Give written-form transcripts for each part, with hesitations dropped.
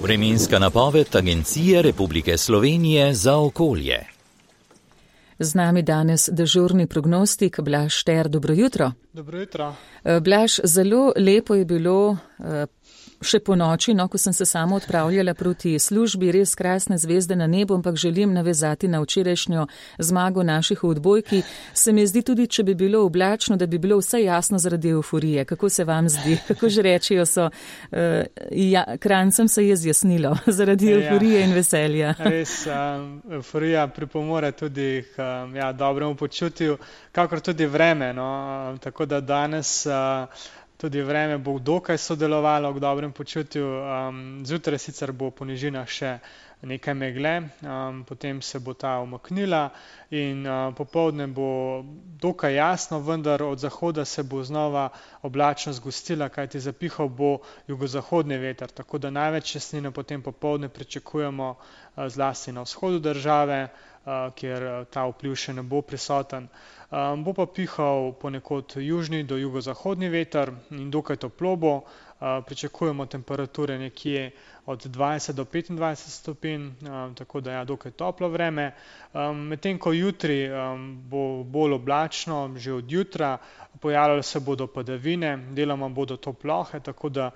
Vremenska napoved Agencije Republike Slovenije za okolje. Z nami danes dežurni prognostik Blaž Šter. Dobro jutro. Dobro jutro. Blaž, zelo lepo je bilo še po noči, ko sem se samo odpravljala proti službi, res krasne zvezde na nebu, ampak želim navezati na včerajšnjo zmago naših v odbojki. Se mi zdi tudi, če bi bilo oblačno, da bi bilo vse jasno zaradi euforije. Kako se vam zdi? Kako že rečijo so, Kranjcem se je zjasnilo zaradi euforije in veselja. Res, euforija pripomore tudi k dobremu počutju, kakor tudi vreme. Tako da danes tudi vreme bo dokaj sodelovalo k dobrem počutju. Zjutraj sicer bo po nižinah še nekaj megle, potem se bo ta umaknila in popoldne bo dokaj jasno, vendar od zahoda se bo znova oblačnost zgostila, kajti zapihal bo jugozahodni veter, tako da največ jasnine potem popoldne pričakujemo zlasti na vzhodu države, kjer ta vpliv še ne bo prisoten. Bo pa pihal ponekod južni do jugozahodni veter in dokaj toplo bo. Pričakujemo temperature nekje od 20 do 25 stopinj, tako da dokaj toplo vreme. Medtem ko jutri bo bolj oblačno, že od jutra, pojavljale se bodo padavine, deloma bodo to plohe, tako da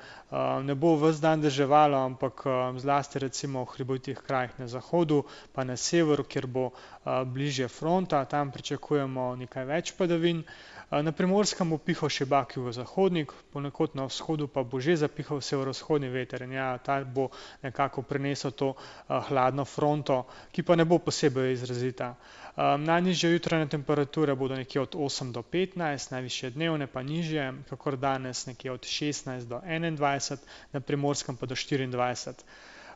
ne bo ves dan deževalo, ampak zlasti recimo v hribovitih krajih na zahodu, pa na severu, kjer bo bližje fronta, tam pričakujemo nekaj več padavin. Na Primorskem bo pihal šibak jugozahodnik, ponekod na vzhodu pa bo že zapihal severovzhodni veter in ta bo nekako prinesel to hladno fronto, ki pa ne bo posebej izrazita. Najnižje jutranje temperature bodo nekje od 8 do 15, najvišje dnevne pa nižje, kakor danes nekje od 16 do 21, na Primorskem pa do 24.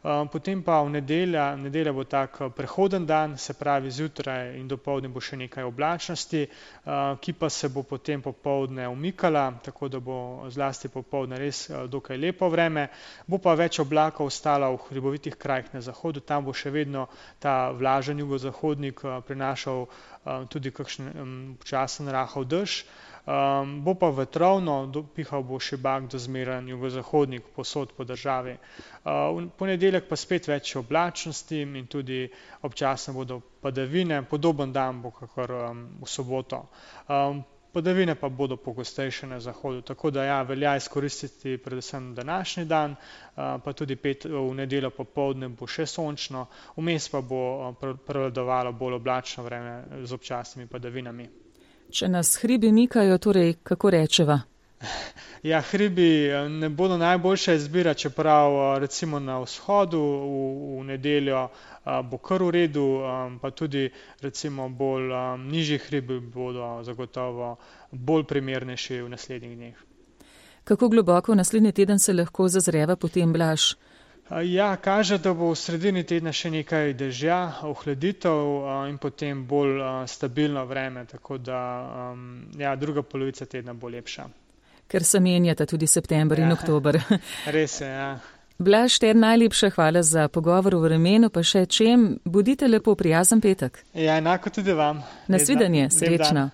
Potem pa v nedelja bo tak prehoden dan, se pravi zjutraj in dopoldne bo še nekaj oblačnosti, ki pa se bo potem popoldne umikala, tako da bo zlasti popoldne res dokaj lepo vreme. Bo pa več oblakov ostalo v hribovitih krajih na zahodu, tam bo še vedno ta vlažen jugozahodnik prinašal tudi kakšen počasen rahel dež. Bo pa vetrovno, pihal bo šibak do zmeren jugozahodnik posod po državi. V ponedeljek pa spet več oblačnosti in tudi občasno bodo padavine, podoben dan bo kakor v soboto. Padavine pa bodo pogostejše na zahodu, tako da velja izkoristiti predvsem današnji dan, pa tudi v nedeljo popoldne bo še sončno, vmes pa bo prevladovalo bolj oblačno vreme z občasnimi padavinami. Če nas hribi mikajo, torej kako rečeva? Hribi ne bodo najboljša izbira, čeprav recimo na vzhodu v nedeljo bo kar v redu, pa tudi recimo bolj nižji hribi bodo zagotovo bolj primernejši v naslednjih dneh. Kako globoko v naslednji teden se lahko zazreva potem, Blaž? Kaže, da bo v sredini tedna še nekaj dežja, ohladitev in potem bolj stabilno vreme, tako da druga polovica tedna bo lepša. Ker se menjata tudi september in oktober. Res je, Blaž Šter, najlepša hvala za pogovor o vremenu, pa še čem. Bodite lepo, prijazen petek. Enako tudi vam. Nasvidenje, srečno.